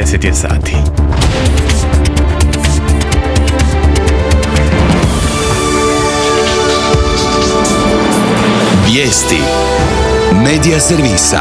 10 je sati. Vijesti Medija servisa.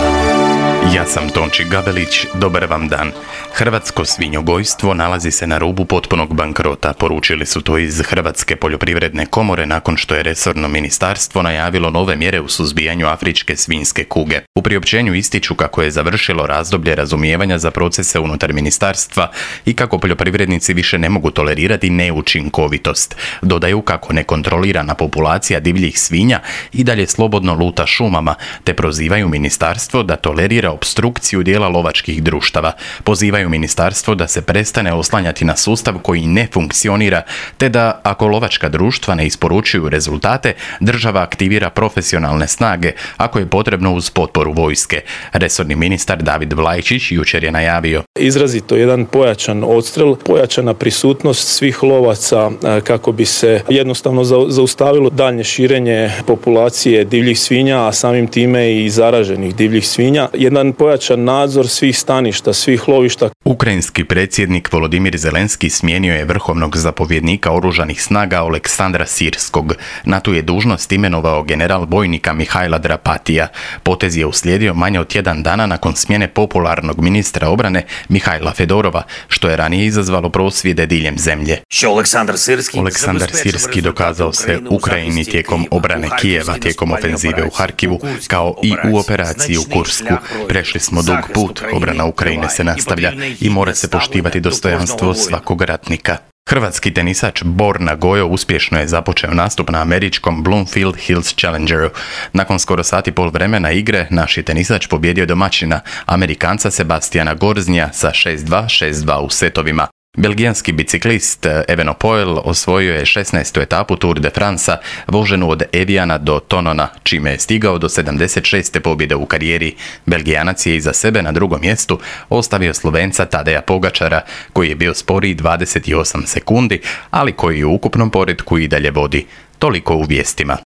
Ja sam Tonči Gabelić, dobar vam dan. Hrvatsko svinjogojstvo nalazi se na rubu potpunog bankrota, poručili su to iz Hrvatske poljoprivredne komore nakon što je resorno ministarstvo najavilo nove mjere u suzbijanju afričke svinjske kuge. U priopćenju ističu kako je završilo razdoblje razumijevanja za procese unutar ministarstva i kako poljoprivrednici više ne mogu tolerirati neučinkovitost. Dodaju kako nekontrolirana populacija divljih svinja i dalje slobodno luta šumama, te prozivaju ministarstvo da tolerira opstrukciju dijela lovačkih društava. Pozivaju ministarstvo da se prestane oslanjati na sustav koji ne funkcionira, te da ako lovačka društva ne isporučuju rezultate, država aktivira profesionalne snage, ako je potrebno uz potporu vojske. Resorni ministar David Vlajčić jučer je najavio: izrazito jedan pojačan odstrel, pojačana prisutnost svih lovaca kako bi se jednostavno zaustavilo daljnje širenje populacije divljih svinja, a samim time i zaraženih divljih svinja. Jedan pojačan nadzor svih staništa, svih lovišta. Ukrajinski predsjednik Volodimir Zelenski smijenio je vrhovnog zapovjednika oružanih snaga Oleksandra Sirskog. Na tu je dužnost imenovao general bojnika Mihajla Drapatija. Potez je uslijedio manje od tjedan dana nakon smjene popularnog ministra obrane Mihajla Fedorova, što je ranije izazvalo prosvjede diljem zemlje. Oleksandar Sirski dokazao se Ukrajini tijekom obrane Kijeva, tijekom ofenzive u Harkivu, kao i u operaciji u Kursku. Prešli smo dug put, obrana Ukrajine se nastavlja i mora se poštivati dostojanstvo svakog ratnika. Hrvatski tenisač Borna Gojo uspješno je započeo nastup na američkom Bloomfield Hills Challengeru. Nakon skoro sat i pol vremena igre, naš je tenisač pobjedio domaćina, Amerikanca Sebastiana Gorznja sa 6-2, 6-2 u setovima. Belgijanski biciklist Evenepoel osvojio je 16. etapu Tour de France, voženu od Eviana do Tonona, čime je stigao do 76. pobjede u karijeri. Belgijanac je iza sebe na drugom mjestu ostavio Slovenca Tadeja Pogačara, koji je bio sporiji 28 sekundi, ali koji u ukupnom poretku i dalje vodi. Toliko u vijestima.